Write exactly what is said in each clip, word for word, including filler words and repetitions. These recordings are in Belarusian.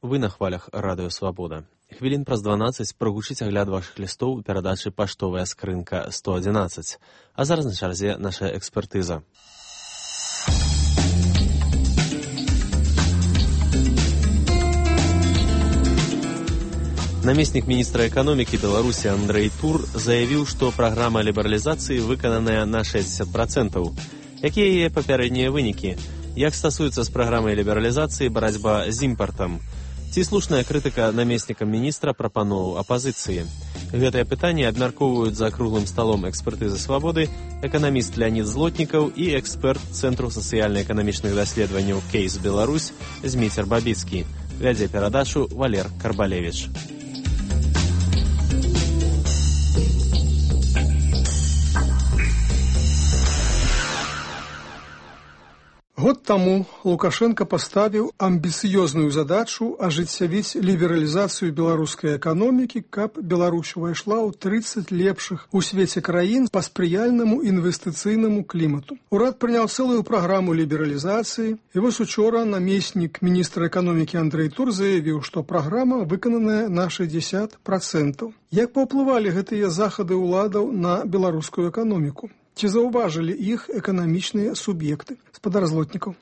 Вы на хвалях Радыё Свабода. Хвілін праз дванаццаць прагучыць агляд вашых лістоў у перадачы «Паштовая скрынка сто одиннадцать». А зараз на чарзе наша экспертыза. Намеснік міністра эканомікі Беларусі Андрэй Тур заявіў, што праграма лібералізацыі выкананая на шэсцьдзесят процентаў. Якія яе папярэднія вынікі? Як стасуецца з праграмай лібералізацыі барацьба з імпартам? Ці слушная крытыка намеснікам міністра прапановаў апазіцыі? Гэтае пытанне абмяркоўваюць за круглым сталом экспертызы свабоды эканаміст Леонид Злотнікаў і эксперт Цэнтру сацыяльна-эканамічных даследаванняў «Кейс Беларусь» Зміцер Бабіцкі. Вядзе перадачу Валер Карбалевіч. Год таму Лукашенко паставіў амбіцыёзную задачу ажыццявіць лібералізацыю беларускай эканомікі, каб Беларусь увайшла ў трыццаць лепшых у свеце краін па спрыяльнаму інвестыцыйнаму клімату. Урад прыняў цэлую праграму лібералізацыі, і вось учора намеснік міністра эканомікі Андрэй Тур заявіў, што праграма выкананая на шэсцьдесят процентаў. Як паўплывалі гэтыя захады ўладаў на беларускую эканоміку? Ці заўважылі іх эканамічныя суб'екты? Спадар Злотнікаў.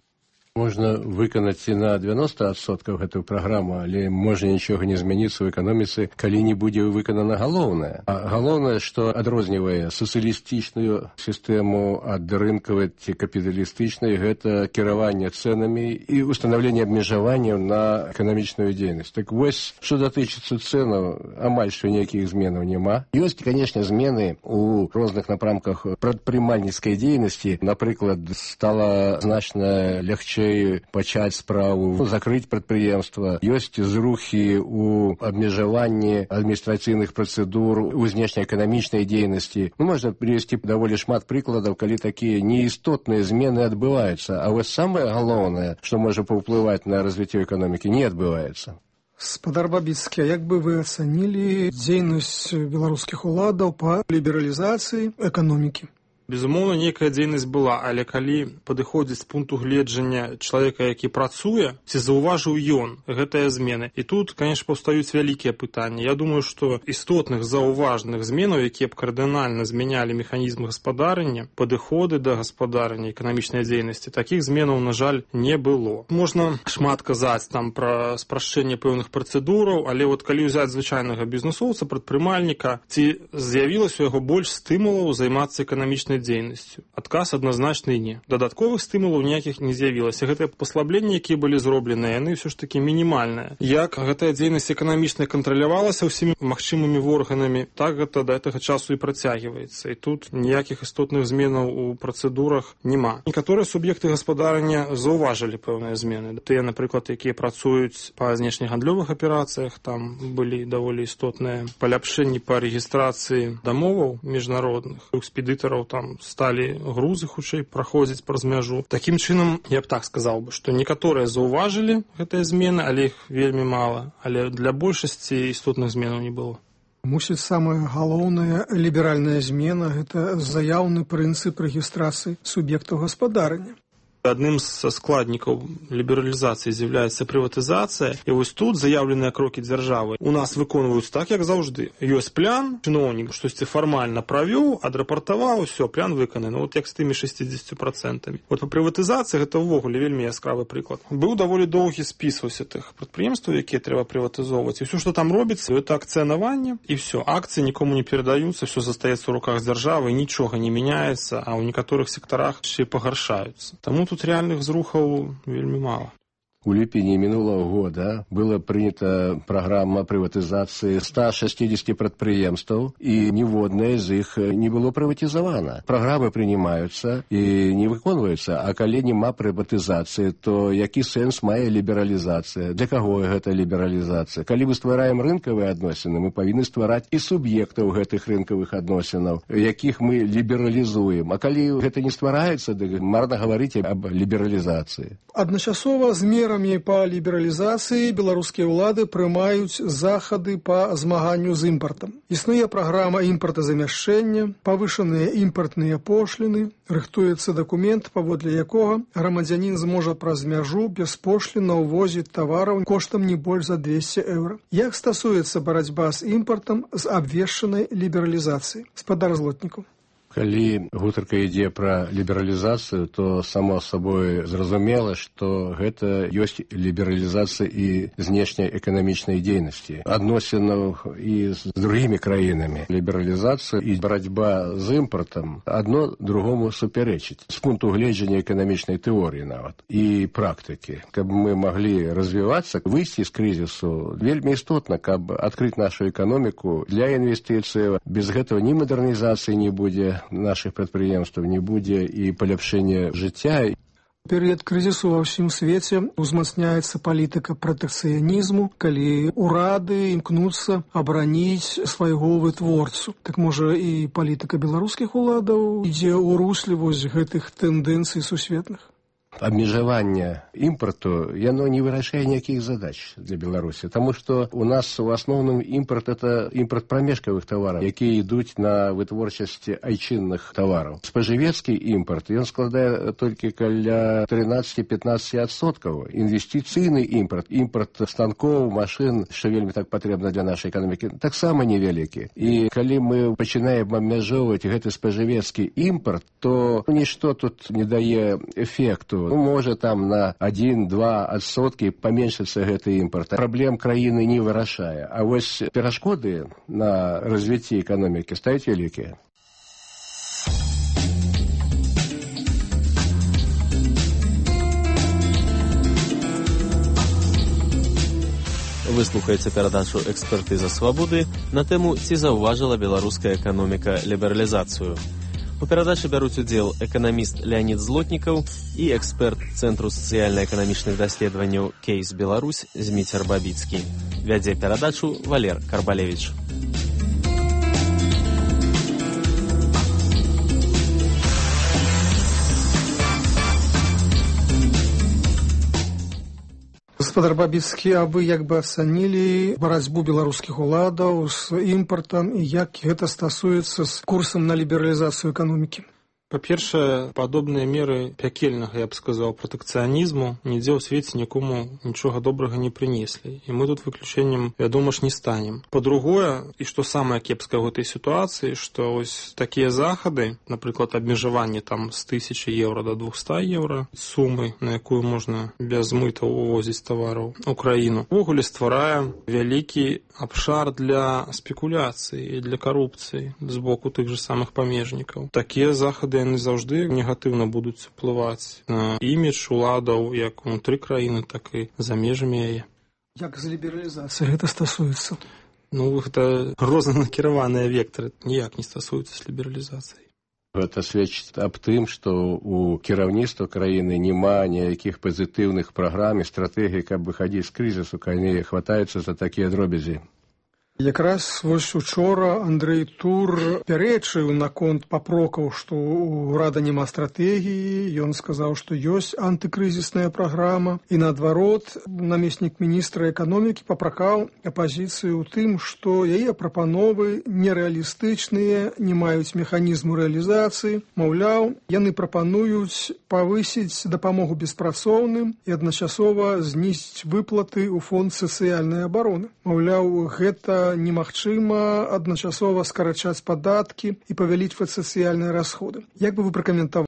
Можна выканаць і на девяносто адсоткаў гэтую праграму, але можа нічога не змяніцца ў эканоміцы, калі не будзе выканана галоўнае. А галоўнае, што адрознівае сацыялістычную сістэму ад рынкавай ці капіталістычнай, гэта кіраванне цэнамі і ўстанаўленне абмежаванняў на эканамічную дзейнасць. Так вось, што датычыцца цэнаў, амаль што ніякіх зменаў няма. Ёсць, канешне, змены ў розных напрамках прадпрымальніцкай дзейнасці. Напрыклад, стала значна лягчэй пачаць справу, закрыць прадпрыемства. Ёсць зрухі ў абмежаванні адміністрацыйных працэдур у знешнеэканамічнай дзейнасці. Ну, можна прывесці даволі шмат прыкладаў, калі такія неістотныя змены адбываюцца. А вось самае галоўнае, што можа паўплываць на развіццё эканомікі, не адбываецца. Спадар Бабіцкі, як бы вы ацанілі дзейнасць беларускіх уладаў па лібералізацыі эканомікі? Безумоўна, нейкая дзейнасць была, але калі падыходзіць з пункту гледжання чалавека, які працуе, ці заўважыў ён гэтыя змены. І тут, канешне, паўстаюць вялікія пытанні. Я думаю, што істотных заўважных зменаў, якія б кардынальна змянялі механізм гаспадарання, падыходы да гаспадарання эканамічнай дзейнасці, такіх зменаў, на жаль, не было. Можна шмат казаць там пра спрашчэнне пэўных працэдураў, але вот калі ўзяць звычайнага бізнесоўца, прадпрымальніка, ці з'явілася у яго больш стымулаў займацца эканамічнай дзейнасцю. Адказ адназначны не. Дадатковых стымулаў ніякіх не з'явілася. Гэтыя паслабленні, якія былі зробленыя, яны ўсё ж такі мінімальныя. Як гэтая дзейнасць эканамічная кантралявалася ўсімі магчымымі органамі, так гэта да гэтага часу і працягваецца. І тут ніякіх істотных зменаў у працэдурах няма. Некаторыя суб'екты гаспадарання заўважылі пэўныя змены. Тыя, напрыклад, якія працуюць па знешнегандлёвых аперацыях, там былі даволі істотныя паляпшэнні па рэгістрацыі дамоваў міжнародных, экспедытараў там сталі грузы хутчэй праходзіць праз мяжу. Такім чынам, я б так сказаў бы, што некаторыя заўважылі гэтыя змены, але іх вельмі мала. Але для большасці істотных зменаў не было. Мусіць, самая галоўная ліберальная змена – гэта заяўны прынцып рэгістрацыі суб'ектаў гаспадарання. Адным са складнікаў лібералізацыі з'яўляецца прыватызацыя, і вось тут заяўленыя крокі дзяржавы у нас выконваюць так, як заўжды. Ёсць план, чыноўнік штосьці фармальна правёў, адрапартаваў, усё, план выкананы. Вот як з тымі шэсцьдзесят процентамі. Вот па прыватызацыі гэта ўвогуле вельмі яскравы прыклад. Быў даволі доўгі спіс вось тых прадпрыемстваў, якія трэба прыватызоўваць. І ўсё, што там робіцца, гэта акцыянаванне, і ўсё. Акцыі нікому не перадаюцца, ўсё застаецца ў руках дзяржавы, нічога не мяняецца, а ў некаторых сектарах яшчэ пагаршаюцца. Таму тут реальных зрухаў вельмі мала. У ліпені мінулого года была прынята праграма прыватызацыі ста шэсцьдзесят прадпрыемстваў, і ніводнае з іх не было прыватызавана. Праграмы прынимаюцца і не выконваюцца, а калі няма прыватызацыі, то які сэнс мае лібералізацыя? Для каго гэта лібералізацыя? Калі мы ствараем рынкавыя адносіны, мы павінны ствараць і суб'ектаў гэтых рынкавых адносінаў, якіх мы лібералізуем. А калі гэта не ствараецца, дык марна гаварыць аб лібералізацыі. Адначасова з мерамі праграме па лібералізацыі беларускія ўлады прымаюць захады па змаганню з імпартам. Існуе праграма імпартазамяшчэння, павышаныя імпартныя пошліны, рыхтуецца дакумент, паводле якога грамадзянін зможа праз мяжу без пошліна ўвозіць тавараў коштам не больш за двесце еўра. Як стасуецца барацьба з імпартам з абвешчанай лібералізацыі? Спадар Злотнікаў. Калі гутарка ідзе пра лібералізацыю, то само сабой зразумела, што гэта ёсць лібералізацыя і знешняй эканамічнай дзейнасці, адносінаў і з другімі краінамі. Лібералізацыя і барацьба з імпартам адно другому супярэчыць з пункту гледжання эканамічнай тэорыі нават і практыкі. Каб мы маглі развівацца, выйсці з крызісу, вельмі істотна, каб адкрыць нашу эканоміку для інвестыцыяў. Без гэтага ні мадэрнізацыі не будзе, наших прадпрыемстваў не будзе і паляпшэння жыцця. Перыяд крызісу ва ўсім свеце узмацняецца палітыка пратэкцыянізму, калі ўрады імкнуцца абараніць свайго вытворцу. Так можа і палітыка беларускіх уладаў ідзе ў русле вось гэтых тэндэнцый сусветных? Абмежаванне імпарту, яно не вырашае ніякіх задач для Беларусі, таму што у нас у асноўным імпарт – это імпарт прамежкавых тавараў, якія ідуць на вытворчасці айчынных тавараў. Спажывецкі імпарт, ён складае толькі каля трынаццаць-пятнаццаць адсоткаў. Інвестыцыйны імпарт, імпарт станкоў, машын, што вельмі так патрэбна для нашай эканомікі, таксама невялікі. І калі мы пачынаем абмяжоўваць гэты спажывецкі імпарт, то нішто тут не дае эфекту. Ну, можа там на адзін-два адсоткі паменшыцца гэты імпарт. Праблем краіны не вырашае. А вось перашкоды на развіцці эканомікі стаюць вялікія. Вы слухаеце перадачу «Экспертыза свабоды» на тэму «Ці заўважыла беларуская эканоміка лібералізацыю?». У перадачы бяруць удзел эканаміст Леонид Злотнікаў і эксперт Цэнтру сацыяльна-эканамічных даследаванняў «Кейс Беларусь» Зміцер Бабіцкі. Вядзе перадачу Валер Карбалевіч. Гаспадар Бабіцкі, а вы як бы ацанілі барацьбу беларускіх уладаў з імпартам і як гэта стасуецца з курсам на лібералізацыю эканомікі? Па-першае, падобныя меры пякельнага, я б сказаў, пратэкцыянізму нідзе ў свеце нікому нічога добрага не прынеслі. І мы тут выключэннем, вядома ж, не станем. Па-другое, і што самае кепскае ў гэтай сітуацыі, што ось такія захады, напрыклад, абмежаванне там з тысячы еўра да двухста еўра, сумы, на якую можна без мытаў увозіць тавараў у краіну, увогуле стварае вялікі абшар для спекуляцыі і для карупцыі з боку тых же самых памежнікаў. Такія захады яны заўжды негатыўна будуць уплываць на імідж уладаў як унутры краіны, так і за межамі яе. Як з лібералізацыяй гэта стасуецца? Ну, гэта рознанакіраваныя вектары, ніяк не стасуюцца з лібералізацыяй. Гэта сведчыць аб тым, што у кіраўніцтва краіны няма ніякіх пазітыўных праграм і стратэгій, каб выхадзіць з крызісу, калі хватаюцца за такія дробязі. Якраз вось учора Андрэй Тур пярэчыў наконт папрокаў, што ў ўрада няма стратэгіі. Ён сказаў, што ёсць антыкрызісная праграма. І наадварот, намеснік міністра эканомікі папракаў апазіцыю ў тым, што яе прапановы нерэалістычныя, не маюць механізму рэалізацыі. Маўляў, яны прапануюць павысіць дапамогу беспрацоўным і адначасова знізіць выплаты ў фонд сацыяльнай абароны. Маўляў, гэта немагчыма адначасова скарачаць падаткі і павялічваць сацыяльныя расходы. Як бы вы пракаментавалі?